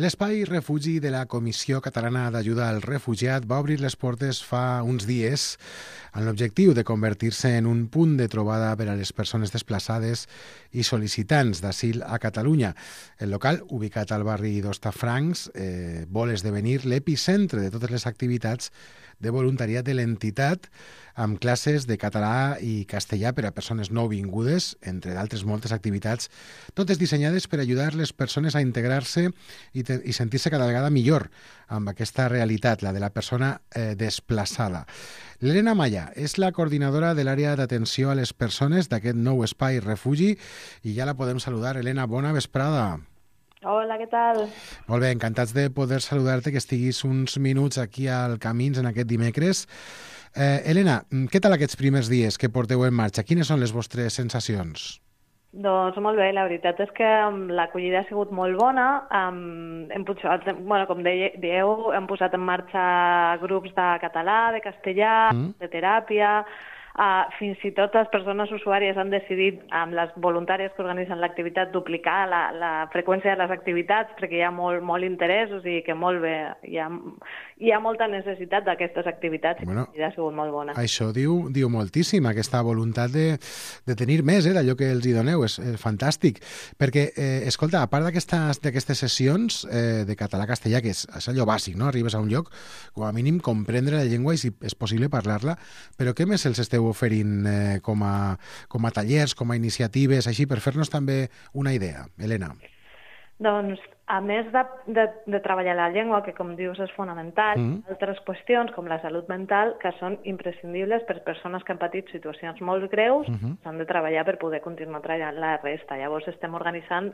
L'espai refugi de la Comissió Catalana d'Ajuda al Refugiat va obrir les portes fa uns dies amb l'objectiu de convertir-se en un punt de trobada per a les persones desplaçades i sol·licitants d'asil a Catalunya. El local, ubicat al barri d'Hostafrancs, vol esdevenir l'epicentre de totes les activitats de voluntariat de l'entitat, amb classes de català i castellà per a persones nouvingudes, entre d'altres moltes activitats, totes dissenyades per ajudar les persones a integrar-se i sentir-se cada vegada millor amb aquesta realitat, la de la persona desplaçada. L'Helena Maya és la coordinadora de l'àrea d'atenció a les persones d'aquest nou espai refugi i ja la podem saludar. Helena, bona vesprada. Hola, què tal? Molt bé, encantats de poder saludar-te, que estiguis uns minuts aquí al Camins en aquest dimecres. Helena, què tal aquests primers dies que porteu en marxa? Quines són les vostres sensacions? Doncs molt bé, la veritat és que l'acollida ha sigut molt bona. Com dieu, hem posat en marxa grups de català, de castellà, de teràpia. Fins i tot les persones usuàries han decidit, amb les voluntàries que organitzen l'activitat, duplicar la freqüència de les activitats perquè hi ha molt interès, o sigui que molt bé, hi ha molta necessitat d'aquestes activitats i ha sigut molt bona. Això diu moltíssim, aquesta voluntat de tenir més d'allò que els hi doneu, és fantàstic, perquè, escolta, a part d'aquestes sessions de català-castellà, que és allò bàsic, no? Arribes a un lloc, com a mínim comprendre la llengua i si és possible parlar-la, però què més els esteu oferint com a tallers, com a iniciatives, així, per fer-nos també una idea, Helena? Doncs, a més de treballar la llengua, que com dius és fonamental, altres qüestions com la salut mental, que són imprescindibles per persones que han patit situacions molt greus, s'han de treballar per poder continuar treballant la resta. Llavors estem organitzant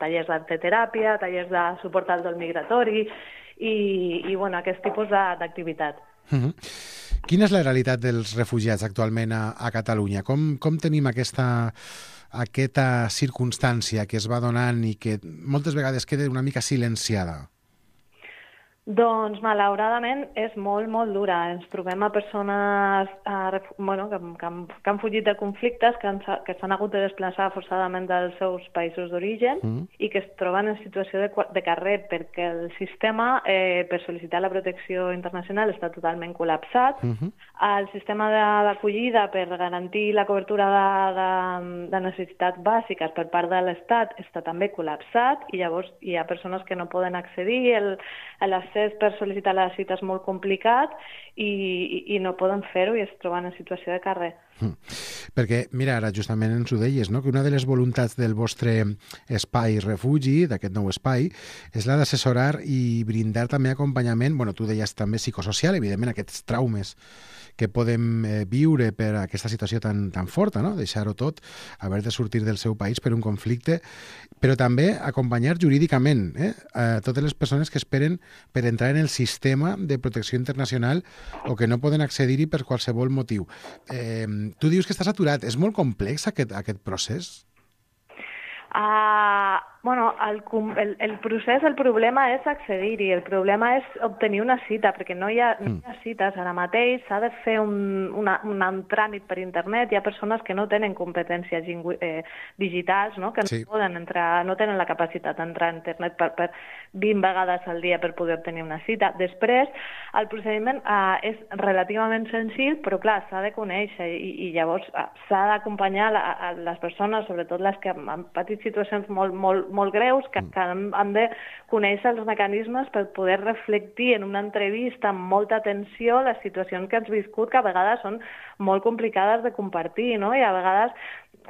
tallers d'arteteràpia, tallers de suport al dol migratori i aquest tipus d'activitat. Quina és la realitat dels refugiats actualment a Catalunya? Com tenim aquesta circumstància que es va donant i que moltes vegades queda una mica silenciada? Doncs, malauradament, és molt dura. Ens trobem a persones que han fugit de conflictes, que s'han hagut de desplaçar forçadament dels seus països d'origen i que es troben en situació de carrer perquè el sistema per sol·licitar la protecció internacional està totalment col·lapsat. El sistema d'acollida per garantir la cobertura de necessitats bàsiques per part de l'Estat està també col·lapsat i llavors hi ha persones que no poden accedir, l'accés per sol·licitar la cita és molt complicat i no poden fer-ho i es troben en situació de carrer. Perquè, mira, ara justament ens ho deies, no? Que una de les voluntats del vostre espai refugi, d'aquest nou espai, és la d'assessorar i brindar també acompanyament, tu deies també psicosocial, evidentment, aquests traumes que podem viure per aquesta situació tan forta, no? Deixar-ho tot, haver de sortir del seu país per un conflicte, però també acompanyar jurídicament totes les persones que esperen per entrar en el sistema de protecció internacional o que no poden accedir-hi per qualsevol motiu. Tu dius que estàs aturat. És molt complex aquest procés? El procés, el problema és accedir-hi, el problema és obtenir una cita, perquè no hi ha cites ara mateix, s'ha de fer un tràmit per internet, hi ha persones que no tenen competències digitals, no? Que no poden entrar, no tenen la capacitat d'entrar a internet per 20 vegades al dia per poder obtenir una cita. Després, el procediment és relativament senzill, però clar, s'ha de conèixer i llavors s'ha d'acompanyar a les persones, sobretot les que han patit situacions molt greus, que han de conèixer els mecanismes per poder reflectir en una entrevista amb molta atenció les situacions que has viscut, que a vegades són molt complicades de compartir, no? I a vegades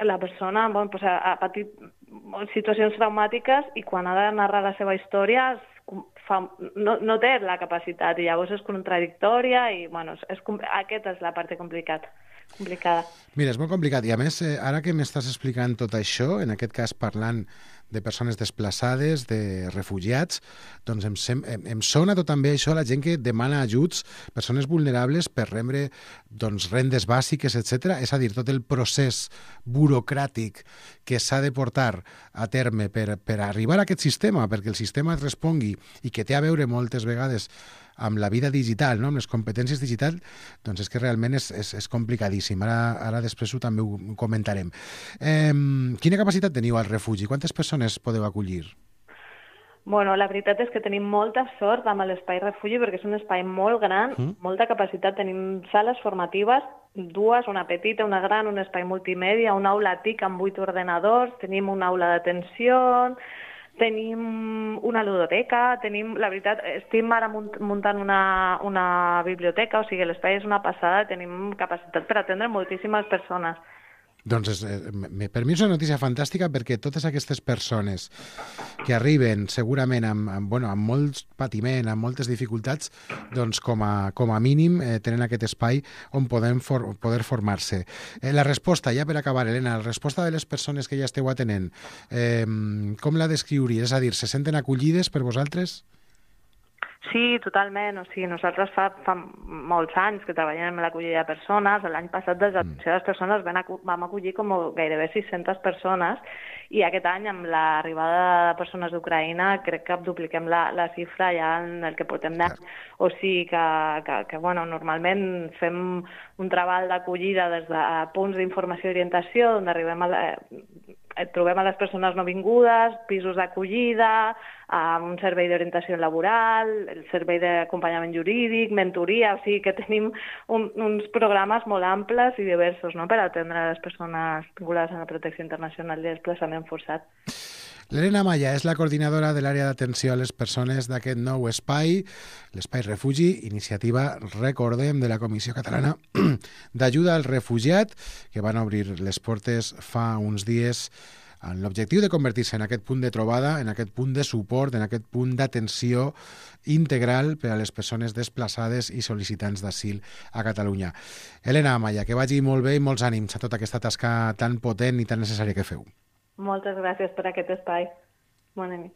la persona ha patit situacions traumàtiques i quan ha de narrar la seva història no té la capacitat i llavors és contradictòria i aquesta és la part complicada. Mira, és molt complicat i a més, ara que m'estàs explicant tot això, en aquest cas parlant de persones desplaçades, de refugiats, doncs em sona tot també això a la gent que demana ajuts, persones vulnerables per rebre rendes bàsiques, etc. És a dir, tot el procés burocràtic que s'ha de portar a terme per arribar a aquest sistema, perquè el sistema et respongui i que té a veure moltes vegades amb la vida digital, no? Amb les competències digitals, doncs és que realment és complicadíssim. Ara després també ho comentarem. Quina capacitat teniu al refugi? Quantes persones podeu acollir? Bueno, la veritat és que tenim molta sort amb l'Espai Refugi perquè és un espai molt gran, molta capacitat. Tenim sales formatives, dues, una petita, una gran, un espai multimèdia, una aula TIC amb 8 ordenadors, tenim una aula d'atenció, tenim una ludoteca, la veritat, estem ara muntant una biblioteca, o sigui, l'espai és una passada, tenim capacitat per atendre moltíssimes persones. Doncs per mi és una notícia fantàstica perquè totes aquestes persones que arriben segurament amb molt patiment, amb moltes dificultats, doncs com a mínim tenen aquest espai on poder formar-se. La resposta, ja per acabar, Helena, la resposta de les persones que ja esteu atenent, com la descriuries? És a dir, se senten acollides per vosaltres? Sí, totalment. O sigui, nosaltres fa molts anys que treballem en l'acollida de persones. L'any passat, des de l'atenció de les persones, vam acollir com gairebé 600 persones i aquest any, amb l'arribada de persones d'Ucraïna, crec que dupliquem la xifra ja en el que portem d'any. O sigui que normalment fem un treball d'acollida des de punts d'informació i orientació, on trobem a les persones nouvingudes, pisos d'acollida, un servei d'orientació laboral, el servei d'acompanyament jurídic, mentoria, o sigui que tenim uns programes molt amples i diversos, no?, per atendre les persones vinculades a la protecció internacional i desplaçament forçat. L'Helena Amaya és la coordinadora de l'àrea d'atenció a les persones d'aquest nou espai, l'Espai Refugi, iniciativa, recordem, de la Comissió Catalana d'Ajuda al Refugiat, que van obrir les portes fa uns dies amb l'objectiu de convertir-se en aquest punt de trobada, en aquest punt de suport, en aquest punt d'atenció integral per a les persones desplaçades i sol·licitants d'asil a Catalunya. Helena Amaya, que vagi molt bé i molts ànims a tota aquesta tasca tan potent i tan necessària que feu. Moltes gràcies per aquest espai. Bona nit.